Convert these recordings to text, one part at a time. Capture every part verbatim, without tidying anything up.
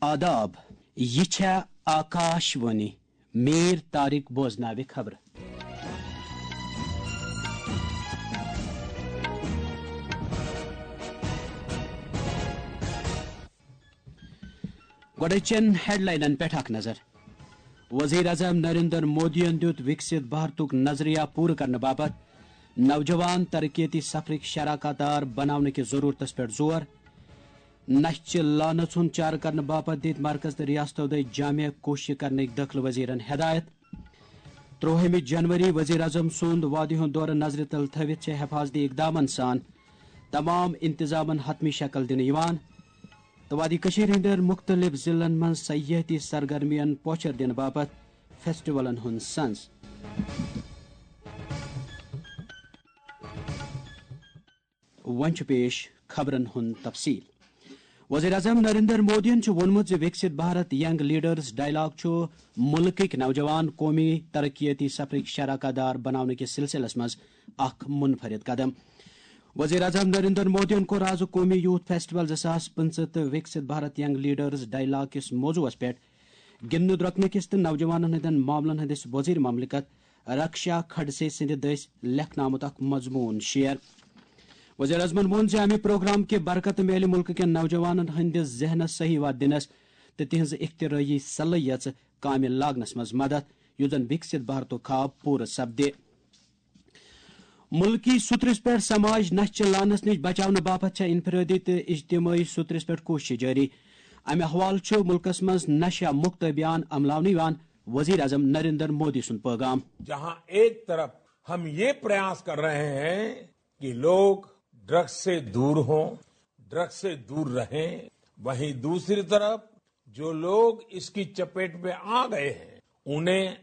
آداب، یہِ چھےٚ آکاش وانی۔ میر طارق بوزناوِ خبرٕ۔ گۄڈٕ چٮ۪ن ہیڈلاینن پٮ۪ٹھ اکھ نظر۔ وزیر اعظم نریندر مودیَن دیُت وکسِت بھارتُک نظریہ پوٗرٕ کرنہٕ باپتھ نوجوان ترقیتی سفرٕکۍ شراکت دار بناونہٕ کِس ضروٗرتس پٮ۪ٹھ زور۔ نشہٕ چہِ لعنژ ہُنٛد چارٕ کرنہٕ باپتھ دِتۍ مرکز تہٕ ریاستو دٔسۍ جامع کوٗششہٕ کرنٕکۍ دٲخلہٕ وزیرن ہدایت۔ ترٛوہمہِ جنوری وزیر اعظم سُنٛد وادی ہُنٛد دورٕ نظرِ تل تھٲوِتھ چھِ حفاظتی اقدامن سان تمام انتظامن حتمی شکل دِنہٕ یِوان۔ تہٕ وادی کٔشیٖرِ ہٕنٛدٮ۪ن مُختٔلِف ضلعن منٛز سیاحتی سرگرمیَن پوچھر دِنہٕ باپتھ فیسٹیولن ہُنٛد سنز۔ وۄنۍ چھُ پیش خبرن ہُنٛد تفصیل۔ وزیر اعظم نریندر مودیَن چھُ ووٚنمُت زِ وکسِت بھارت ینگ لیڈرز ڈائیلاگ چھُ مُلکٕکۍ نوجوان قومی ترقیتی سفرٕکۍ شراکت دار بناونہٕ کِس سلسلس منٛز اکھ منفرد قدم۔ وزیر اعظم نریندر مودیَن کوٚر آز قومی یوتھ فیسٹیول زٕ ساس پٕنٛژٕہ تہٕ وکسِت بھارت ینگ لیڈرز ڈائیلاگ کِس موضوعس پٮ۪ٹھ گِنٛدنہٕ درۄکنہٕ کِس تہٕ نوجوانن ہٕنٛدٮ۪ن معاملن ہٕنٛدِس وزیر مملکت رکشا کھڈسے سٕنٛدِ دٔسۍ لیکھنہٕ آمُت اکھ مضموٗن شیئر۔ وزیر اعظمن ووٚن زِ امہِ پروگرام کہِ برکتہٕ میلہِ مُلکہٕ کٮ۪ن نوجوانن ہٕنٛدِس ذہنس صحیح وتھ دِنس تہٕ تِہنٛز اختراعی صلٲحیژ کامہِ لاگنس منٛز مدد، یُتھ زن وکسِت بھارتُک خواب پوٗرٕ سپدِ۔ مُلکی سوٚترِس پٮ۪ٹھ سماج نشہٕ چہِ لعنژ نِش بچاونہٕ باپتھ چھےٚ انفرٲدی تہٕ اجتمٲعی سوٚترِس پٮ۪ٹھ کوٗششہٕ جٲری۔ امہِ حوالہٕ چھُ مُلکس منٛز نشہ مُکت ابھیان عملاونہٕ یِوان، وزیر اعظم نریندر مودی سُنٛد پیغام۔ جہاں ایک طرف ہم یہ پریاس کر رہے ہیں کہ لوگ ڈرگ سے دور ہوں، ڈرگ سے دور رہیں، وہیں دوسری طرف جو لوگ اس کی چپیٹ میں آ گئے ہیں، انہیں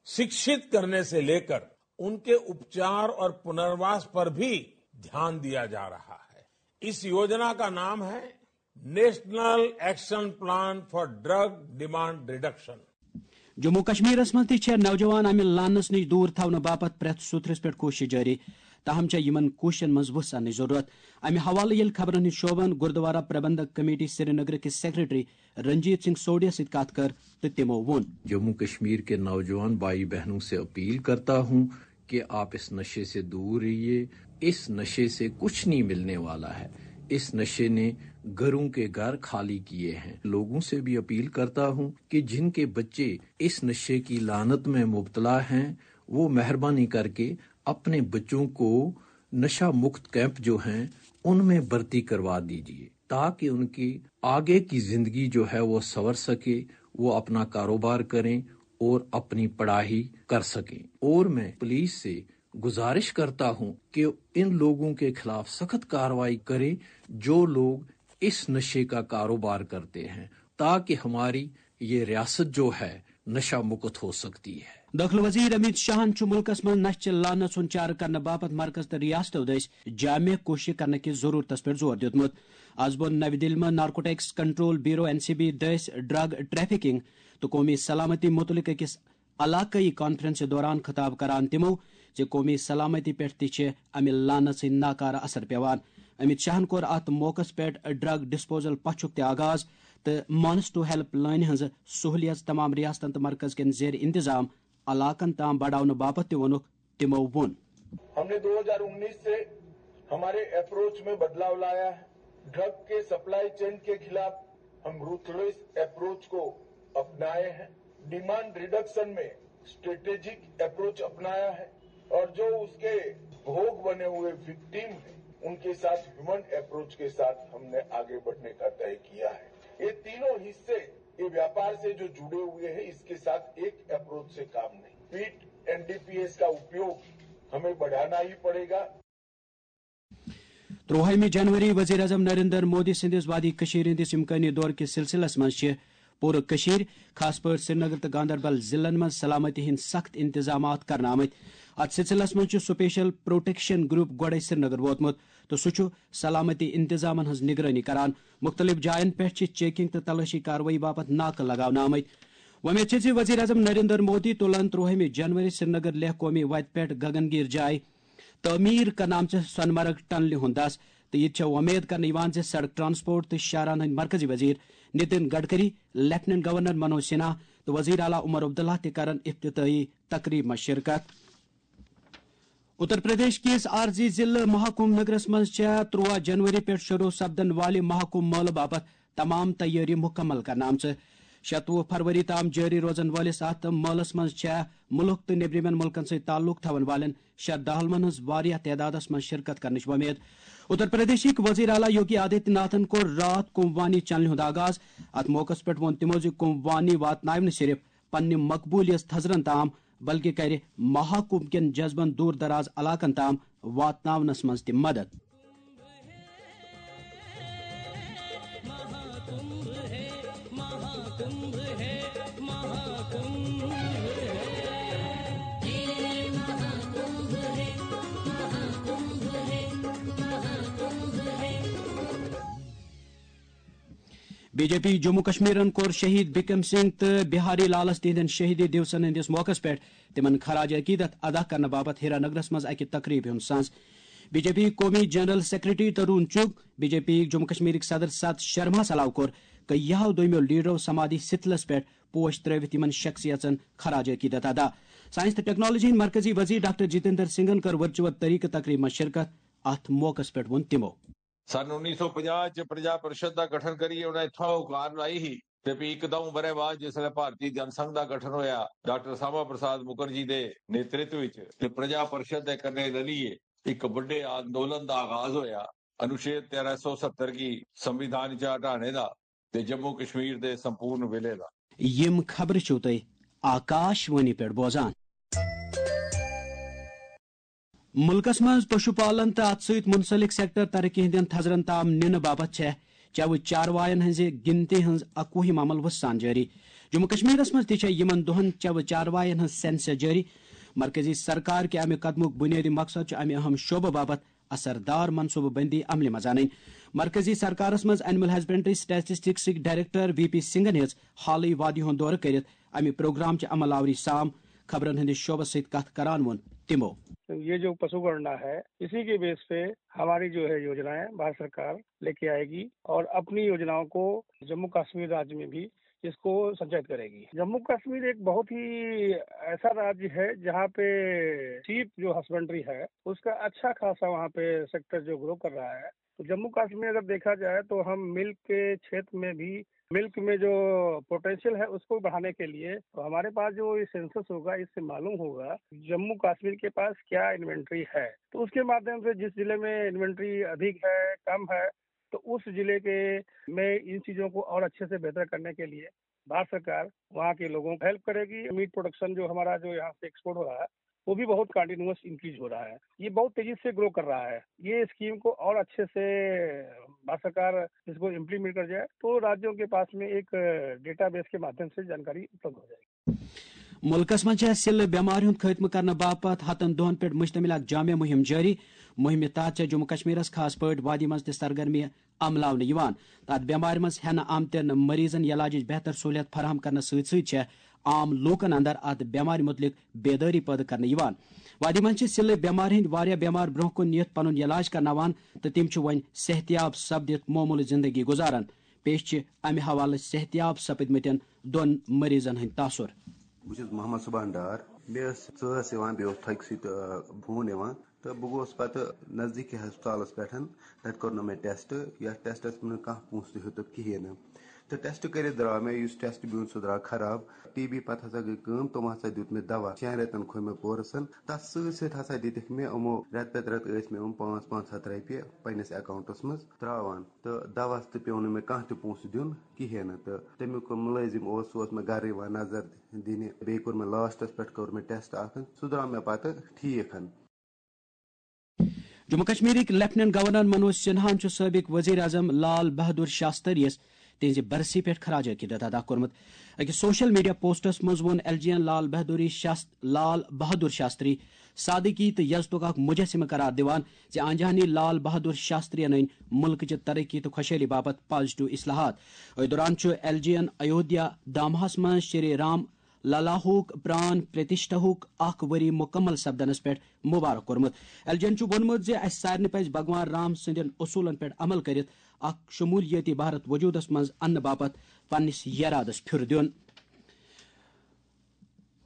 शिक्षित करने से लेकर उनके उपचार और पुनर्वास पर भी ध्यान दिया जा रहा है। इस योजना का नाम है National Action Plan for Drug Demand Reduction. Jammu کشمیرس منٛز تہِ چھےٚ نوجوان امہِ لعنژ نِش دوٗر تھاونہٕ باپتھ پرٛٮ۪تھ سوٚتھرِس پٮ۪ٹھ کوٗشش جٲری، تاہم چھےٚ یِمن کوٗششن منٛز وُژھ اننٕچ ضروٗرت۔ امہِ حوالہٕ ییٚلہِ خبرن ہٕنٛدۍ شعبن گردوارا پربندھک کمیٹی سرینگرٕ کِس سیکرٹری رنجیت سنگھ سوڈیا سۭتۍ کتھ کٔر تہٕ تِمو ووٚن۔ जम्मू कश्मीर के नौजवान भाई बहनों से अपील करता हूं कि आप इस नशे से दूर रहिए। इस नशे से कुछ नहीं मिलने वाला है। इस नशे ने घरों के घर खाली किए हैं। लोगों से भी अपील करता हूं कि जिनके बच्चे इस नशे की लानत में मुब्तला हैं, वो मेहरबानी करके अपने बच्चों को नशा मुक्त कैंप जो हैं, उनमें भर्ती करवा दीजिए, ताकि उनकी आगे की जिंदगी जो है, वो संवर सके, वो अपना कारोबार करें और अपनी पढ़ाई कर सकें। और मैं पुलिस से गुजारिश करता हूं कि इन लोगों के खिलाफ सख्त कार्रवाई करें, जो लोग इस नशे का कारोबार करते हैं, ताकि हमारी ये रियासत जो है, नशा मुक्त हो सकती है। دٲخلہٕ وزیر امیت شاہن چھُ مُلکس منٛز نشہٕ چہِ لعنژ ہُنٛد چارٕ کرنہٕ باپتھ مرکز تہٕ ریاستو دٔسۍ جامع کوٗشش کرنہٕ کِس ضروٗرتس پٮ۪ٹھ زور دیُتمُت۔ از بوٚن نوِ دِلہِ منٛز narcotics control bureau, N C B, دٔسۍ ڈرگ ٹریفکنگ تہٕ قومی سلامتی مُتعلق أکِس علاقٲیی کانفرنسہِ دوران خطاب کران تِمو زِ قومی سلامتی پٮ۪ٹھ تہِ چھِ امہِ لعنژ ہٕنٛدۍ ناکارٕ اثر پٮ۪وان۔ امیت شاہن کوٚر اتھ موقعس پٮ۪ٹھ ڈرگ ڈسپوزل پچھُک تہِ آغاز تہٕ مانس ٹو ہیلپ لائنہِ ہٕنٛز سہولیژ تمام ریاستن تہٕ مرکز کٮ۪ن زیر انتظام علاقن تام بڑاونہٕ باپتھ تہِ ووٚنُکھ تِمو ووٚن۔ ہم نے دو ہزار انیس سے ہمارے اپروچ میں بدلاؤ لایا ہے۔ ڈرگ کے سپلائی چین کے خلاف ہم روتھلیس اپروچ کو اپنائے ہیں۔ ڈیمانڈ ریڈکشن میں اسٹریٹجک اپروچ اپنایا ہے اور جو اس کے بھوگ بنے ہوئے وکٹم ہیں، ان کے ساتھ ہیومن اپروچ کے ساتھ ہم نے آگے بڑھنے کا طے کیا ہے۔ یہ تینوں حصے، ये व्यापार से जो जुड़े हुए हैं, इसके साथ एक अप्रोच से काम नहीं। पीट एनडीपीएस का उपयोग हमें बढ़ाना ही पड़ेगा। ترٛوہمہِ جنوری وزیر اعظم نریندر مودی سٕنٛدِس وادی کٔشیٖرِ ہٕنٛدِس امکٲنی دورٕ کِس سلسلس منٛز چھِ پوٗرٕ کٔشیٖر، خاص پٲٹھۍ سرینگر تہٕ گاندربل ضلعن منٛز سلامتی ہٕنٛدۍ سخت انتظامات کرنہٕ آمٕتۍ۔ اتھ سلسلس منٛز چھُ سپیشل پروٹیکشن گروپ گۄڈے سرینگر ووتمُت تہٕ سُہ چھُ سلامتی انتظامن ہٕنٛز نگرٲنی کران۔ مُختٔلِف جاین پٮ۪ٹھ چھِ چیکنگ تہٕ تلٲشی کاروٲیی باپتھ ناکہٕ لگاونہٕ آمٕتۍ۔ وۄمید چھِ زِ وزیر اعظم نریندر مودی تُلن ترٛوہمہِ جنوری سرینگر لیہہ قومی وتہِ پٮ۪ٹھ گگن گیر جایہِ تعمیٖر کرنہٕ آمژِ سۄنہٕ مرگ ٹنلہِ ہُنٛد دَس تہٕ یہِ تہِ چھےٚ وۄمید کرنہٕ یِوان زِ سڑک ٹرانسپورٹ تہٕ شاہراہن ہٕنٛدۍ مرکزی وزیر نتن گڈکری، لیفٹیننٹ گورنر منوج سنہا تہٕ وزیر اعلیٰ عمر عبداللہ تہِ کرن افتتاحی تقریب منٛز شرکت۔ اتر پردیش کِس عارضی ضلعہٕ مہاکمبھ نگرس منٛز چھےٚ تُرٛواہ جنوری پٮ۪ٹھ شروع سپدن والہِ مہاکمبھ مٲلہٕ باپتھ تمام تیٲری مکمل کرنہٕ آمژٕ۔ شتوُہ فروری تام جٲری روزن وٲلِس اتھ مٲلس منٛز چھےٚ مُلک تہٕ نیٚبرِمٮ۪ن مُلکن سۭتۍ تعلق تھاون والٮ۪ن شرداہلوَن ہٕنٛز واریاہ تعدادس منٛز شرکت کرنٕچ وۄمید۔ اتر پردیشٕکۍ وزیر اعلیٰ یوگی آدتیہ ناتھن کوٚر راتھ کمبھ وانی چنلہِ ہُنٛد آغاز۔ اتھ موقعس پٮ۪ٹھ ووٚن تِمو زِ کمبھ وانی واتناوِ نہٕ صرف پننہِ مقبولیت تھزرن تام، بلکہ کرِ مہاکمبھ کٮ۪ن جذبن دور دراز علاقن تام واتناونس منٛز تہِ مدد۔ بی جے پی جموں کشمیرن کوٚر شہید بکرم سنگھ تہٕ بہاری لالس تِہنٛدٮ۪ن شہیدی دیوسن ہٕنٛدِس موقعس پٮ۪ٹھ تِمن خراج عقیدت ادا کرنہٕ باپتھ ہیرا نگرس منٛز اکہِ تقریبہِ ہُنٛد ساز۔ بی جے پی قومی جنرل سیکرٹری ترون چُگ، بی جے پی جموں کشمیرٕکۍ صدر ستھ شرما سلاو کوٚر کیاہو دوٚیمیو لیڈرو سمادھی ستلس پٮ۪ٹھ پوش ترٲوِتھ یِمن شخصیژن خراج عقیدت ادا۔ سائنس تہٕ ٹیکنالوجی ہٕنٛدۍ مرکزی وزیر ڈاکٹر جتیندر سنگھن کٔر ورچوئل طریقہٕ تقریبہِ منٛز شرکت۔ اتھ موقعس پٮ۪ٹھ ووٚن تِمو۔ سن انیس سو پنجاہ چہ پرجا پرشد دا گٹھن کری انہیں تھو کار لائی ہی۔ تے پی اک دوں برے بعد جس لے بھارتی جن سنگھ دا گٹھن ہویا، ڈاکٹر ساما پرساد مکرجی دے نیترتو وچ تے پرجا پرشد دے کنے للیے اک وڈے آندولن دا آغاز ہویا، انوچھید تیرہ سو ستر کی سنویدھان چا ہٹانے دا تے جموں کشمیر دے سمپورن ولے دا۔ یم خبرٕ چھِو تُہۍ آکاش وانی پٮ۪ٹھ بوزان۔ مُلکَس منٛز پشو پالن تہٕ اَتھ سۭتۍ مُنسلک سیکٹر ترقی ہٕنٛدٮ۪ن تھزرن تام نِنہٕ باپتھ چھےٚ چَوٕ چاروایَن ہٕنٛزِ گِنتی ہٕنٛز اَکوُہِم عمل وُسان جٲری۔ جموں کشمیرَس منٛز تہِ چھےٚ یِمَن دۄہَن چَوٕ چاروایَن ہٕنٛز سینسس جٲری۔ مرکزی سرکار کہِ اَمہِ قدمُک بُنیٲدی مقصد چھُ اَمہِ اَہَم شعبہٕ باپتھ اثر دار منصوبہٕ بندی عملہِ منٛز اَنٕنۍ۔ مرکزی سرکارَس منٛز اینیمل ہسبنڈری سٹیٹسٹکسٕکۍ ڈائریکٹر وی پی سنگھَن ہیٚژ حالٕے وادی ہُنٛد دورٕ کٔرِتھ اَمہِ پروگرام چہِ عمل آوری سام خبرن ہٕنٛدِس شعبس سۭتۍ کتھ کران ووٚن تِمو۔ یہ جو پشو گننا ہے، اسی کے بیس پہ ہماری جو ہے یوجنائیں بھارت سرکار لیکے آئے گی اور اپنی یوجناؤں کو جموں کشمیر راج میں بھی اس کو سنچالیت کرے گی۔ جموں کشمیر ایک بہت ہی ایسا راج ہے جہاں پہ شیپ جو ہسبنڈری ہے اس کا اچھا خاصا وہاں پہ سیکٹر جو گرو کر رہا ہے۔ تو جموں کشمیر اگر دیکھا جائے تو ہم ملک کے چھیتر میں بھی ملک میں جو پوٹینشیل ہے اس کو بڑھانے کے لیے تو ہمارے پاس جو یہ سینسس ہوگا اس سے معلوم ہوگا جموں کشمیر کے پاس کیا انوینٹری ہے۔ تو اس کے مادھیم سے جس ضلع میں انوینٹری ادھک ہے، کم ہے، تو اس ضلع کے میں ان چیزوں کو اور اچھے سے بہتر کرنے کے لیے بھارت سرکار وہاں کے لوگوں کو ہیلپ کرے گی۔ میٹ پروڈکشن جو ہمارا جو یہاں سے ایکسپورٹ ہو رہا ہے وہ بھی بہت کنٹینیوس انکریز ہو رہا ہے، یہ بہت تیزی سے گرو کر رہا ہے۔ یہ اسکیم کو اور اچھے سے بھارت سرکار اس کو امپلیمنٹ کر جائے تو راجیوں کے پاس میں ایک ڈیٹا بیس کے مادھیم سے جانکاری اپلبدھ ہو جائے گی۔ مُلکَس منٛز چھےٚ سِلہٕ بٮ۪مارِ ہُنٛد خٲتمہٕ کرنہٕ باپتھ ہَتَن دۄہَن پٮ۪ٹھ مُشتمِل اکھ جامع مُہِم جٲری۔ مُہِمہِ تحت چھےٚ جموں کشمیرَس خاص پٲٹھۍ وادی منٛز تہِ سرگرمی عملاونہٕ یِوان۔ تَتھ بٮ۪مارِ منٛز ہٮ۪نہٕ آمتٮ۪ن مریضَن علاجٕچ بہتر سہوٗلیت فراہم کرنَس سۭتۍ سۭتۍ چھےٚ عام لوٗکَن اندر اَتھ بٮ۪مارِ مُتعلِق بیدٲری پٲدٕ کرنہٕ یِوان۔ وادی منٛز چھِ سِلہٕ بٮ۪مارِ ہٕنٛدۍ واریاہ بٮ۪مار برٛونٛہہ کُن نِتھ پنُن علاج کرناوان تہٕ تِم چھِ وۄنۍ صحتیاب سپدِتھ معموٗلٕچ زِندگی گُزاران۔ پیش چھِ اَمہِ حوالہٕ صحتیاب سپٕدمٕتٮ۪ن دۄن مریضَن ہٕنٛدۍ تاثر۔ بہٕ چھُس محمد سبحان ڈار۔ مےٚ ٲس ژاس یِوان، بیٚیہِ اوس تھۄکہِ سۭتۍ، آ، ہوٗن یِوان، تہٕ بہٕ گوس پتہٕ نزدیٖکی ہسپتالس پٮ۪ٹھ۔ تتہِ کوٚر نہٕ مےٚ ٹیسٹ، یتھ ٹیسٹس نہٕ کانٛہہ پونٛسہٕ تہِ ہیوٚتُکھ کِہیٖنۍ نہٕ۔ تہٕ ٹیسٹ کٔرِتھ درٛاو مےٚ، یُس ٹیسٹ بیوٗن سُہ درٛاو خراب۔ ٹی بی پتہٕ ہسا گٔے کٲم، تِمو ہسا دیُت مےٚ دوا، شٮ۪ن رٮ۪تن کھوٚو مےٚ کورسن۔ تتھ سۭتۍ سۭتۍ ہسا دِتِکھ مےٚ یِمو رٮ۪تہٕ پتہٕ رٮ۪تہٕ ٲسۍ مےٚ یِم پانٛژھ پانٛژھ ہتھ رۄپیہِ پننِس اکاونٹس منٛز ترٛاوان۔ تہٕ دوہس تہِ پیوٚو نہٕ مےٚ کانٛہہ تہِ پونٛسہٕ دیُن کِہیٖنۍ نہٕ۔ تہٕ تمیُک مُلٲزِم اوس، سُہ اوس مےٚ گرٕ یِوان نظر دِنہِ۔ بیٚیہِ کوٚر مےٚ لاسٹس پٮ۪ٹھ کوٚر مےٚ ٹیسٹ اکھ، سُہ درٛاو مےٚ پتہٕ ٹھیٖک۔ جموں کشمیرٕکۍ لیفٹیننٹ گورنر منوج سنہاہن چھُ سٲبق وزیر اعظم لال بہادر شاستری یَس تِہنٛزِ برسی پٮ۪ٹھ خراج عقیدت ادا کوٚرمُت۔ أکِس سوشل میڈیا پوسٹس منٛز ووٚن ایل جی این لال بہادری شاست-، لال بہادر شاستری سادگی تہٕ یزتُک اکھ مجسمہٕ قرار دِوان زِ آنجہانی لال بہادر شاستری یَن أنۍ مُلکٕچہِ ترقی تہٕ خۄشحٲلی باپتھ پازیٹو اصلاحات۔ أتھۍ دوران چھُ ایل جی این ایودھیا دھامَس منٛز شری رام للاہُک پران پرتشٹھاہُک اکھ ؤری مُکمل سپدنس پٮ۪ٹھ مبارک کوٚرمُت۔ ایل جی این چھُ ووٚنمُت زِ اسہِ سارنٕے پزِ بھگوان رام سٕنٛدٮ۪ن اصوٗلن پٮ۪ٹھ عمل کٔرِتھ اکھ شمولیتی بھارت وجودس منٛز اننہٕ باپتھ پننِس یرادس پھیُر دیُن۔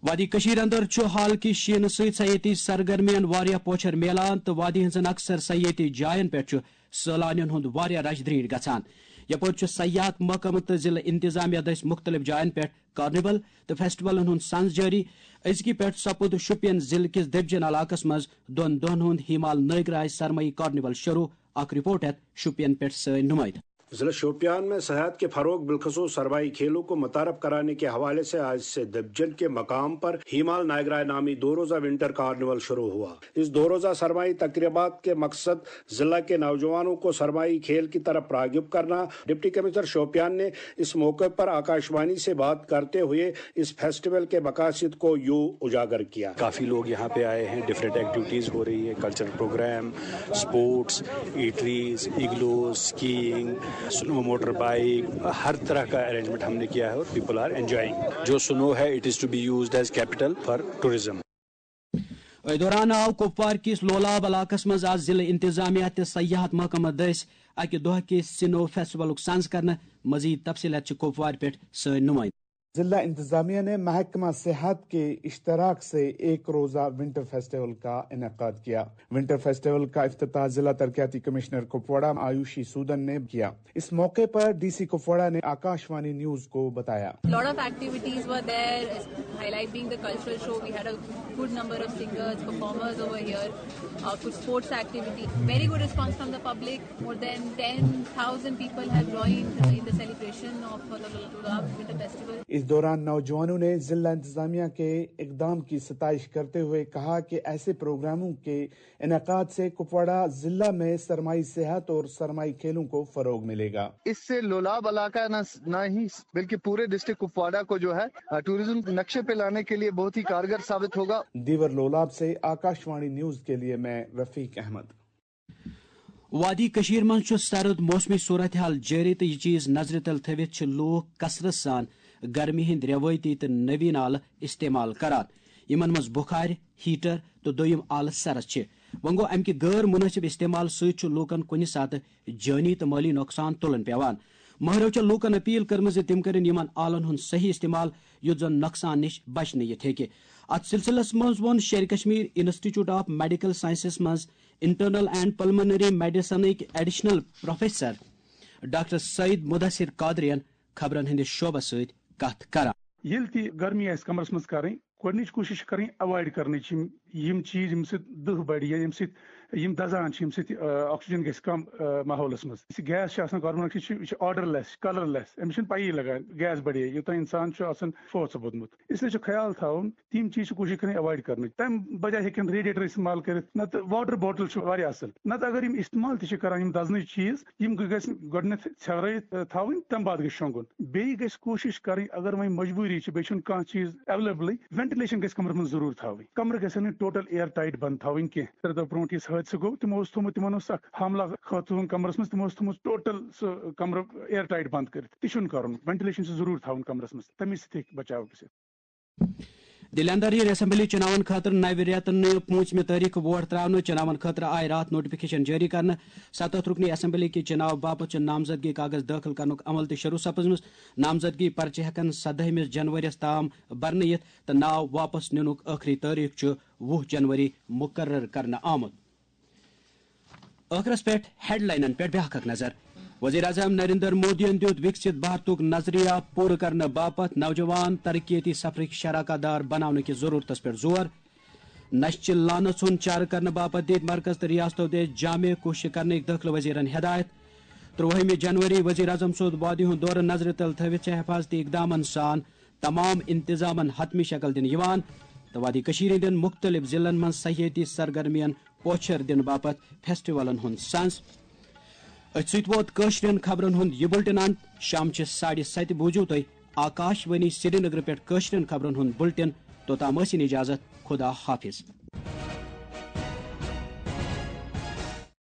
وادی کشیر اندر چھُ حال کہِ شیٖنہٕ سۭتۍ سیٲحتی سرگرمین واریاہ پوچھر میلان تہٕ وادی ہٕنٛزن اکثر سیٲحتی جاین پٮ۪ٹھ چھُ سٲلانین ہُنٛد واریاہ رش دریٖر گژھان۔ یپٲرۍ چھُ سیاحت محکمہٕ تہٕ ضلع انتظامیہ دٔسۍ مُختٔلِف جاین پٮ۪ٹھ کارنیول تہٕ فیسٹیولن ہُنٛد سنز جٲری۔ أزکہِ پٮ۪ٹھ سپُد شُپین ضلعہٕ کِس دٔبجن علاقس منٛز دۄن دۄہن ہُنٛد ہیمال نٲگراج سرمٲیی کارنیول شروع۔ اکھ رپورٹ ہیتھ شُپین پٮ۪ٹھ سٲنۍ نُمٲیِندٕ۔ ضلع شوپیان میں صحت کے فروغ بالخصوص سرمائی کھیلوں کو متعارف کرانے کے حوالے سے آج سے دبجن کے مقام پر ہیمال نائگرائے نامی دو روزہ ونٹر کارنیول شروع ہوا۔ اس دو روزہ سرمائی تقریبات کے مقصد ضلع کے نوجوانوں کو سرمائی کھیل کی طرف راغب کرنا۔ ڈپٹی کمشنر شوپیان نے اس موقع پر آکاشوانی سے بات کرتے ہوئے اس فیسٹیول کے مقاصد کو یوں اجاگر کیا۔ کافی لوگ یہاں پہ آئے ہیں، ڈفرینٹ ایکٹیویٹیز ہو رہی ہے، کلچرل پروگرام، اسپورٹس، ایٹریز، ایگلوز، اسکیئنگ، سنو موٹر بائیک، ہر طرح کا ارینجمنٹ ہم نے کیا ہے اور پیپل آر انجوائنگ۔ جو سنو ہے، it is to be used as capital for tourism۔ أتھۍ دوران آو کپوار کِس لولاب علاقس منٛز آز ضلع انتظامیہ تہٕ سیاحت محکمہٕ دٔسۍ اکہِ دۄہ کِس سنو فیسٹیولُک سنز کرنہٕ۔ مزید تفصیلات چھِ کپوارِ پٮ۪ٹھ سٲنۍ نُمٲیِندٕ۔ ضلع انتظامیہ نے محکمہ صحت کے اشتراک سے ایک روزہ ونٹر فیسٹیول کا انعقاد کیا۔ ونٹر فیسٹیول کا افتتاح ضلع ترقیاتی کمشنر کپواڑہ آیوشی سودن نے کیا۔ اس موقع پر ڈی سی کپواڑہ نے آکاشوانی نیوز کو بتایا۔ Lot of activities were there, highlight being the cultural show. We had a good number of singers, performers over here, uh, good sports activity. Very good response from the public. More than ten thousand people have joined in the celebration of the Lulab Winter Festival. اس دوران نوجوانوں نے ضلع انتظامیہ کے اقدام کی ستائش کرتے ہوئے کہا کہ ایسے پروگراموں کے انعقاد سے کپواڑہ ضلع میں سرمائی صحت اور سرمائی کھیلوں کو فروغ ملے گا۔ اس سے لولاب علاقہ نہ نہ ہی بلکہ پورے ڈسٹرکٹ کپواڑہ کو جو ہے ٹورزم نقشے پہ لانے کے لیے بہت ہی کارگر ثابت ہوگا۔ دیور لولاب سے آکاشوانی نیوز کے لیے میں رفیق احمد۔ وادی کشیر منٛز چھُ سرد موسمی صورتحال جٲری تہٕ یہِ چیز نظرِ تل تھٲوِتھ چھِ لوٗکھ کثرت سان گرمی ہٕنٛدۍ رٮ۪وٲیتی تہٕ نویٖن آلہٕ استعمال کران، یِمن منٛز بخارِ، ہیٹر تہٕ دوٚیِم آلہٕ سرد چھِ۔ وۄنۍ گوٚو، امہِ کہِ غٲر مُنٲسِب استعمال سۭتۍ چھُ لوٗکن کُنہِ ساتہٕ جٲنی تہٕ مٲلی نۄقصان تُلُن پٮ۪وان۔ ماہرو چھےٚ لوٗکن اپیل کٔرمٕژ زِ تِم کٔرِن یِمن آلن ہُنٛد صحیح استعمال، یُتھ زن نۄقصان نِش بچنہٕ یِتھ ہیٚکہِ۔ اتھ سلسلس منٛز ووٚن Sher-e Kashmir institute of medical sciences منٛز انٹرنل اینڈ پلمنری میڈیسنٕکۍ additional professor doctor Saeed Mudasir قادرین خبرن ہٕنٛدِس شعبس سۭتۍ کتھ کران۔ ییٚلہِ تہِ گرمی آسہِ کمرس منٛز کرٕنۍ، گۄڈٕنِچ کوٗشِش چھِ کرٕنۍ ایوایڈ کرنٕچ یِم، یِم چیٖز ییٚمہِ سۭتۍ دٕہ بڑِ یا ییٚمہِ سۭتۍ یِم دزان چھِ، ییٚمہِ سۭتۍ، آ، آکسیجن گژھِ کم، آ، ماحولس منٛز۔ یُس یہِ گیس چھِ آسان، کاربن ڈاے آکسایڈ چھِ، یہِ چھِ آرڈر لیس، کلر لیس، أمِس چھِنہٕ پَیی لگان گیس بڑے یوٗتاہ انسان چھُ آسان فوت سپُدمُت۔ اس لیے چھُ خیال تھاوُن، تِم چیٖز چھِ کوٗشِش کرٕنۍ ایوایڈ کرنٕچ۔ تَمہِ بجایہِ ہیٚکن ریڈیٹر استعمال کٔرِتھ، نتہٕ واٹر باٹل چھُ واریاہ اصل۔ نتہٕ اگر یِم استعمال تہِ چھِ کران، یِم دزنٕچ چیٖز، یِم گٔژھۍ گۄڈٕنٮ۪تھ ژھٮ۪ورٲیِتھ، آ، تھاوٕنۍ، تَمہِ بعد گٔژھۍ شۄنٛگُن۔ بیٚیہِ گژھِ کوٗشِش کرٕنۍ، اگر وۄنۍ مجبوٗری چھِ، بیٚیہِ چھُنہٕ کانٛہہ چیٖز اویلیبلٕے، وینٹلیشن گژھِ کمرس منٛز ضروٗر تھاوٕنۍ۔ کمرٕ گژھن نہٕ ٹوٹل ایئر ٹائٹ بند تھاوٕنۍ کینٛہہ۔ ترٛےٚ دۄہ برونٛٹھ یُس حٲدثہٕ گوٚو، تِمو اوس تھوٚومُت، تِمن اوس اکھ حملہ خاتوٗن کمرس منٛز، تِمو اوس تھوٚومُت ٹوٹل سُہ کمرٕ ایئر ٹائٹ بند کٔرِتھ۔ تہِ چھُنہٕ کرُن، وینٹلیشن چھِ ضروٗر تھاوُن کمرس منٛز، تَمے سۭتۍ ہیٚکہِ بچاو گٔژھِتھ۔ دِلہِ اندر یِن اسمبلی چُناون خٲطرٕ نوِ رٮ۪تہٕ نہٕ پوٗنٛژمہِ تٲریخہٕ ووٹ ترٛاونہٕ۔ چُناون خٲطرٕ آیہِ راتھ نوٹیفکیشن جٲری کرنہٕ۔ ستتھ رُکنی اسمبلی کہِ چُناو باپتھ چھُ نامزدگی کاغذ دٲخل کرنُک عمل تہِ شروع سپُزمُت۔ نامزدگی پرچہِ ہٮ۪کن سدٲہمہِ جنوریَس تام برنہٕ یِتھ تہٕ ناو واپس نِنُک ٲخری تٲریخ چھُ وُہ جنوری مقرر کرنہٕ آمُت۔ ٲخرس پٮ۪ٹھ ہیڈلاینن پٮ۪ٹھ بیٛاکھ اکھ نظر۔ وزیر اعظم نریندر مودیَن دیُت وِکسِت بھارتُک نظریہ پوٗرٕ کرنہٕ باپتھ نوجوان ترقیتی سفرٕکۍ شراکت دار بناونہٕ کِس ضروٗرتس پٮ۪ٹھ زور۔ نشہِ چہِ لعنت ہُنٛد چارٕ کرنہٕ باپتھ دِتۍ مرکز تہٕ ریاستو دِژ جامع کوٗششہٕ کرنٕکۍ دٲخلہٕ وزیرن ہدایت۔ ترٛوہمہِ جنوری وزیر اعظم سُنٛد وادی ہُنٛد دورٕ نظرِ تل تھٲوِتھ چھِ حفاظتی اقدامن سان تمام انتظامن حتمی شکل دِنہٕ یِوان تہٕ وادی کٔشیٖرِ ہٕنٛدٮ۪ن مُختٔلِف ضلعن منٛز سیٲحتی سرگرمین پوچھر دِنہٕ باپتھ فیسٹیولن ہُنٛد سنز۔ أتھۍ سۭتۍ ووت کٲشرٮ۪ن خبرن ہُنٛد یہِ بُلٹن انت۔ شامچہِ ساڑِ ستہِ بوٗزِو تُہۍ آکاش وانی سرینگرٕ پٮ۪ٹھ کٲشرٮ۪ن خبرن ہُنٛد بُلٹن۔ توٚتام ٲسِن اجازت، خدا حافظ۔